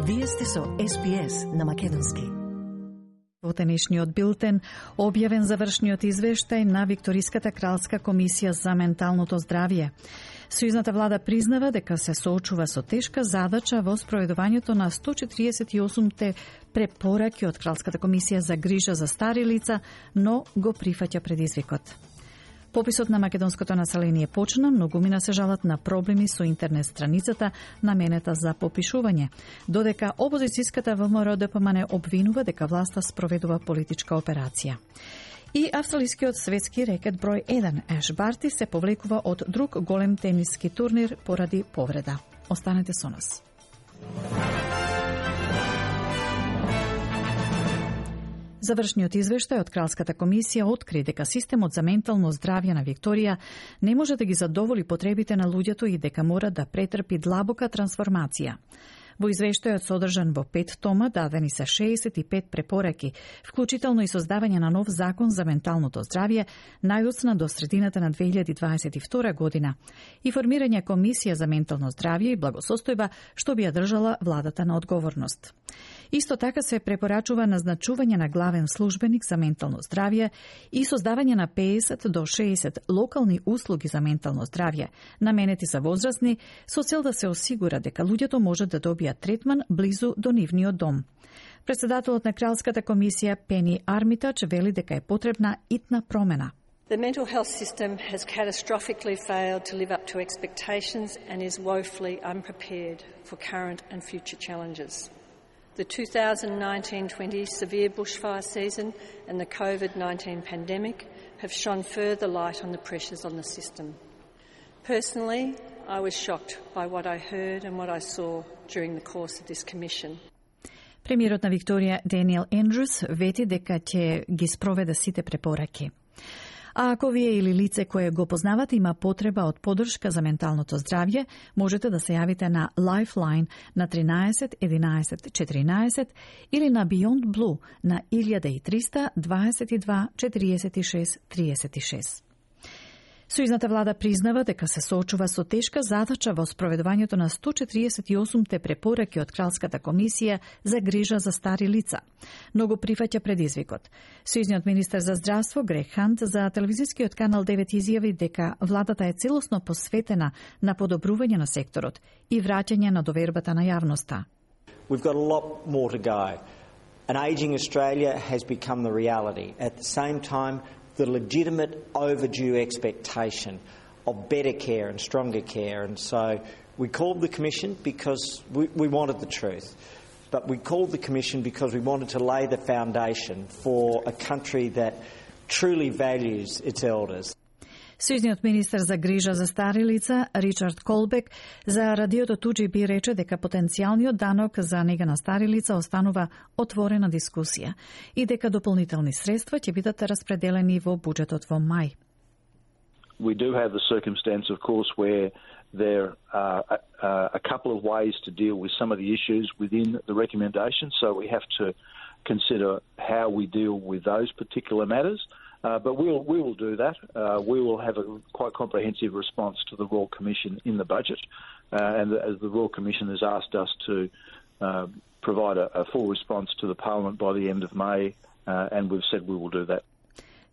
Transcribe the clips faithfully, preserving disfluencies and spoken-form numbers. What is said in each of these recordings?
Вие сте со Ес Би Ес на македонски. Во денешниот билтен објавен завршниот извештај на Викториската кралска комисија за менталното здравје. Сојузната влада признава дека се соочува со тешка задача во спроведувањето на сто четиридесет и осумте препораки од Кралската комисија за грижа за стари лица, но го прифаќа предизвикот. Пописот на македонското население почна, многумина се жалат на проблеми со интернет страницата наменета за попишување, додека опозицијската ВМРО-ДПМН обвинува дека власта спроведува политичка операција. И австралискиот светски рекет број еден Еш Барти се повлекува од друг голем тениски турнир поради повреда. Останете со нас. Завршниот извештај од Кралската комисија откри дека системот за ментално здравје на Викторија не може да ги задоволи потребите на луѓето и дека мора да претрпи длабока трансформација. Во извештајот содржан во пет тома дадени се шеесет и пет препораки, вклучително и создавање на нов закон за менталното здравје, најдоцна до средината на две илјади дваесет и втора година, и формирање комисија за ментално здравје и благосостојба, што би ја држала владата на одговорност. Исто така се препорачува назначување на главен службеник за ментално здравје и создавање на пеесет до шеесет локални услуги за ментално здравје, наменети за возрастни, со цел да се осигура дека луѓето можат да добијат третман близу до нивниот дом. Председателот на Кралската комисија Пени Армитач вели дека е потребна итна промена. The mental health system has catastrophically failed to live up to expectations and is woefully unprepared for current and future challenges. The two thousand nineteen twenty severe bushfire season and the COVID nineteen pandemic have shone further light on the pressures on the system. Personally, I was shocked by what I heard and what I saw during the course of this commission. Премиерот на Викторија Даниел Ендрюс вети дека ќе ги спроведе сите препораки. А ако вие или лице кое го познавате има потреба од подршка за менталното здравје, можете да се јавите на Lifeline на тринаесет единаесет четиринаесет или на Beyond Blue на илјада и триста дваесет и два четириесет и шест триесет и шест. Сојузната влада признава дека се соочува со тешка задача во спроведувањето на сто четиридесет и осумте препораки од Кралската комисија за грижа за стари лица, но го прифаќа предизвикот. Сојузниот министер за здравство Грег Хант за телевизискиот канал девет изјави дека владата е целосно посветена на подобрување на секторот и враќање на довербата на јавноста. We've got a lot more to go. An ageing Australia has become the reality. At the same time, the legitimate overdue expectation of better care and stronger care. And so we called the Commission because we, we wanted the truth. But we called the Commission because we wanted to lay the foundation for a country that truly values its elders. Сојузниот министер за грижа за стари лица Ричард Колбек за радиото Туџи би рече дека потенцијалниот данок за нега на стари лица останува отворена дискусија и дека дополнителни средства ќе бидат распределени во буџетот во мај. We do have the circumstance, of course, where there are a, a couple of ways to deal with some of the issues within the recommendations, so we have to consider how we deal with those particular matters. Uh, but we'll, we will do that. Uh, we will have a quite comprehensive response to the Royal Commission in the budget. Uh, and the, as the Royal Commission has asked us to uh, provide a, a full response to the Parliament by the end of May, uh, and we've said we will do that.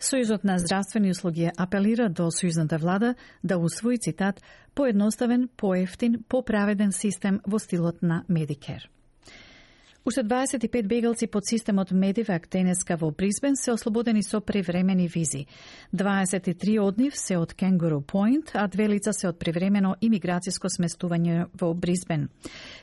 Сојузот на здравствени услуги апелира до сојузната влада да усвои, цитат, поедноставен, поевтин, поправеден систем во стилот на Medicare. Уште дваесет и пет бегалци под системот Медивак денеска во Брисбен се ослободени со превремени визи. дваесет и три од нив се од Kangaroo Point, а две лица се од превремено имиграцијско сместување во Брисбен.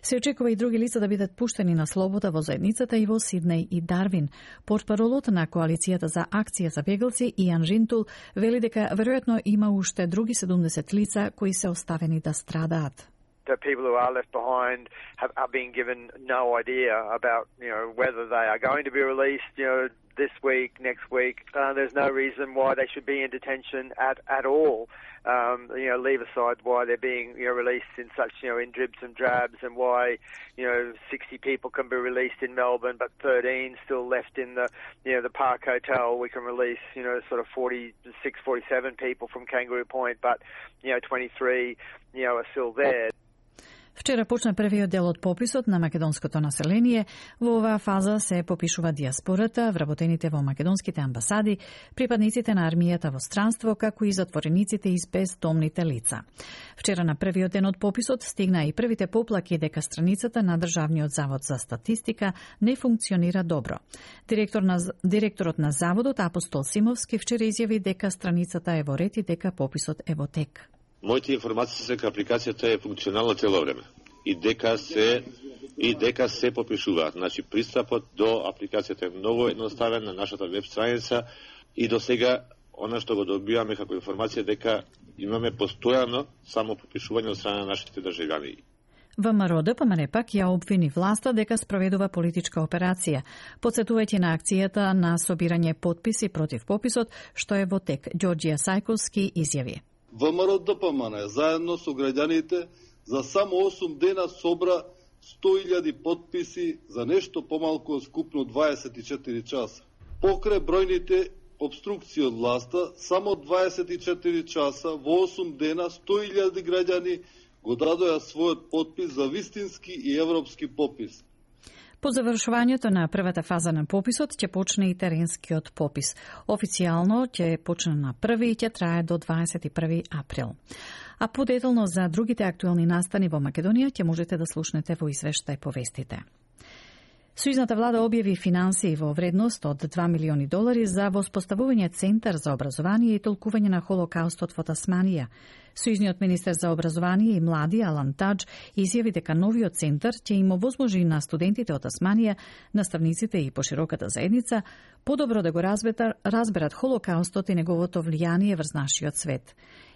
Се очекува и други лица да бидат пуштени на слобода во заедницата и во Сиднеј и Дарвин. Портпаролот на Коалицијата за акција за бегалци Иан Ринтул вели дека веројатно има уште други седумдесет лица кои се оставени да страдаат. The people who are left behind have, are being given no idea about, you know, whether they are going to be released, you know, this week, next week. Uh, there's no reason why they should be in detention at, at all. Um, you know, leave aside why they're being, you know, released in such, you know, in dribs and drabs, and why, you know, sixty people can be released in Melbourne, but thirteen still left in the, you know, the Park Hotel. We can release, you know, sort of forty-six, forty-seven people from Kangaroo Point, but, you know, twenty-three, you know, are still there. Вчера почна првиот дел од пописот на македонското население. Во оваа фаза се попишува диаспората, вработените во македонските амбасади, припадниците на армијата во странство, како и затворениците и бездомните лица. Вчера на првиот ден од пописот стигна и првите поплаки дека страницата на Државниот завод за статистика не функционира добро. Директор на, директорот на заводот Апостол Симовски вчера изјави дека страницата е во ред и дека пописот е во тек. Моите информации се дека апликацијата е функционална цело време и дека се и дека се попишуваат. Значи пристапот до апликацијата е многу едноставен на нашата веб страница и до сега она што го добиваме како информација дека имаме постојано само попишување од страна на нашите државјани. ВМРО ДПМН пак ја обвини власта дека спроведува политичка операција, потсетувајќи на акцијата на собирање потписи против пописот, што е во тек. Ѓорѓија Сајковски изјави. ВМРО ДПМН заедно со граѓаните за само осум дена собра сто илјади потписи за нешто помалку од скупно дваесет и четири часа. Покрај бројните обструкции од власта, само дваесет и четири часа во осум дена сто илјади граѓани го дадоа својот потпис за вистински и европски попис. По завршувањето на првата фаза на пописот ќе почне и теренскиот попис. Официјално ќе почне на први и ќе трае до дваесет и први април. А подетално за другите актуелни настани во Македонија ќе можете да слушнете во извештај по вестите. Сојузната влада објави финансии во вредност од два милиони долари за воспоставување центар за образование и толкување на Холокаустот во Тасманија. Сојузниот министер за образование и млади Алан Тадж изјави дека новиот центар ќе им овозможи на студентите од Тасманија, наставниците и пошироката заедница подобро да го разберат, разберат Холокаустот и неговото влијание врз нашиот свет.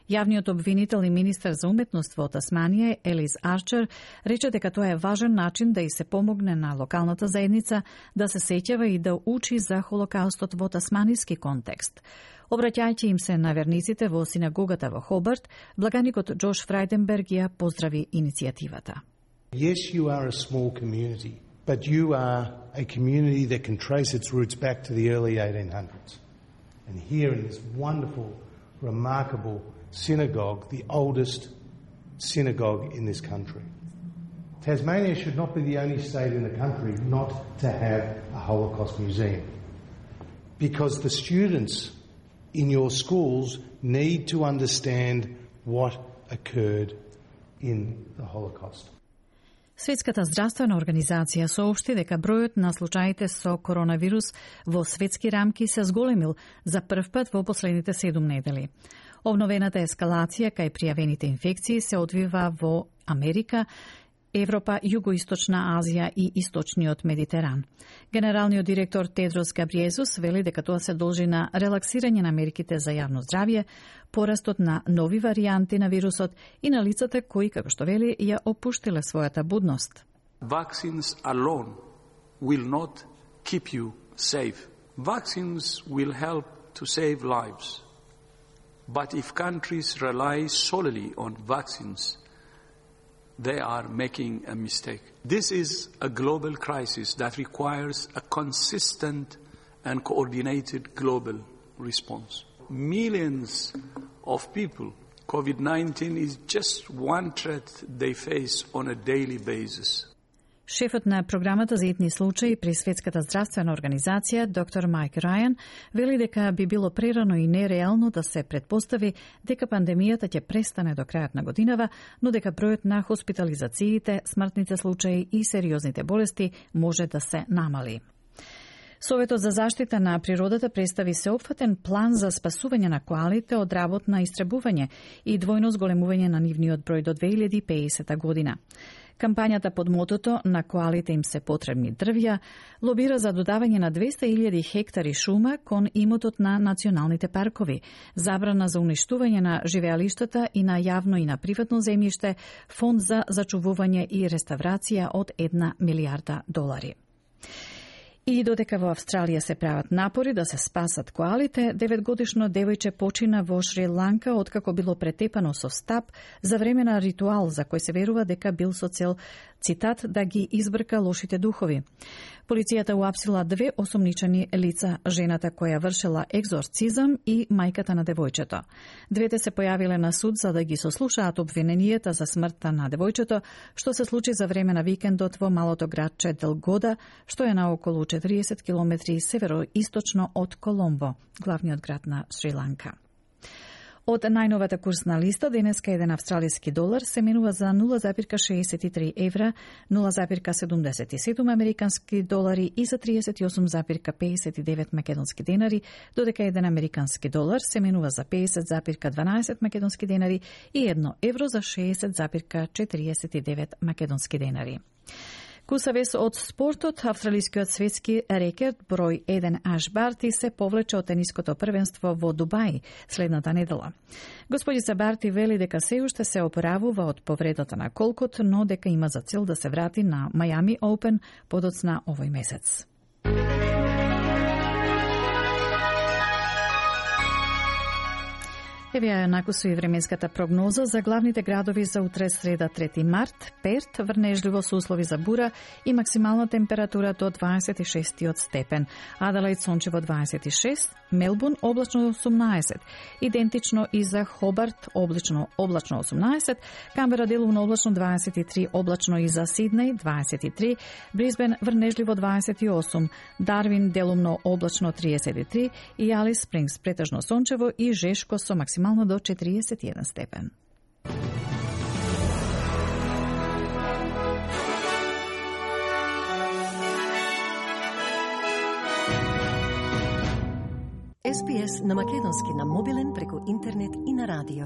Јавниот обвинител и министер за уметност во Тасманија, Елис Арчер, рече дека тоа е важен начин да и се помогне на локалната заедница да се сеќава и да учи за Холокаустот во тасманиски контекст. Обраќајќи им се на верниците во синагогата во Хобарт, благаникот Џош Фрајденберг ја поздрави иницијативата. Yes, you are a small community, but you are a community that can trace its roots back to the early eighteen hundreds. And here in this wonderful, remarkable synagogue, the oldest synagogue in this country. Tasmania should not be the only state in the country not to have a Holocaust museum, because the students in your schools need to understand what occurred in the Holocaust. Светската здравствена организација соопшти дека бројот на случаите со коронавирус во светски рамки се зголемил за прв пат во последните седум недели. Обновената ескалација кај пријавените инфекции се одвива во Америка, Европа, Југоисточна Азија и Источниот Медитеран. Генералниот директор Тедрос Габриезус вели дека тоа се должи на релаксирање на мерките за јавно здравје, порастот на нови варијанти на вирусот и на лицата кои, како што вели, ја опуштиле својата будност. Vaccines alone will not keep you safe. Vaccines will help to save lives. But if countries rely solely on vaccines, they are making a mistake. This is a global crisis that requires a consistent and coordinated global response. Millions of people, COVID nineteen is just one threat they face on a daily basis. Шефот на програмата за итни случаи при Светската здравствена организација, доктор Майк Рајан, вели дека би било прерано и нереално да се предпостави дека пандемијата ќе престане до крајот на годинава, но дека бројот на хоспитализациите, смртните случаи и сериозните болести може да се намали. Советот за заштита на природата представи сеопфатен план за спасување на коалите од работ на истребување и двојно зголемување на нивниот број до две илјади и педесета година. Кампањата под мотото «На коалите им се потребни дрвја» лобира за додавање на двеста илјади хектари шума кон имотот на националните паркови, забрана за уништување на живеалиштата и на јавно и на приватно земјиште, фонд за зачувување и реставрација од една милијарда долари. И додека во Австралија се прават напори да се спасат коалите, деветгодишно девојче почина во Шри-Ланка откако било претепано со стап за време на ритуал за кој се верува дека бил со цел цитат, да ги избрка лошите духови. Полицијата уапсила две осомничени лица, жената која вршела екзорцизам и мајката на девојчето. Двете се појавиле на суд за да ги сослушаат обвиненијата за смртта на девојчето, што се случи за време на викендот во малото градче Делгода, што е на околу четириесет километри североисточно од Коломбо, главниот град на Шри-Ланка. Од најновата курсна листа, денеска еден австралиски долар се менува за нула запирка шеесет и три евра, нула запирка седумдесет и седум американски долари и за триесет и осум запирка пеесет и девет македонски денари, додека еден американски долар се менува за пеесет запирка дванаесет македонски денари и едно евро за шеесет запирка четириесет и девет македонски денари. Кусавес од спортот, австралискиот светски рекорд број еден Аш Барти се повлече од тениското првенство во Дубај следната недела. Господица Барти вели дека се уште се оправува од повредата на колкот, но дека има за цел да се врати на Miami Open подоцна овој месец. Еве ја накусу и временската прогноза за главните градови за утре среда трети март. Перт врнежливо со услови за бура и максимална температура до дваесет и шест степен. Аделаид сончево дваесет и шест, Мелбурн облачно осумнаесет, идентично и за Хобарт облачно облачно осумнаесет, Камбера делумно облачно дваесет и три, облачно и за Сиднеј дваесет и три, Брисбен врнежливо дваесет и осум, Дарвин делумно облачно триесет и три и Алис Спрингс претежно сончево и жешко со максимално до четириесет и еден степен. Ес Би Ес на македонски на мобилен преку интернет и на радио.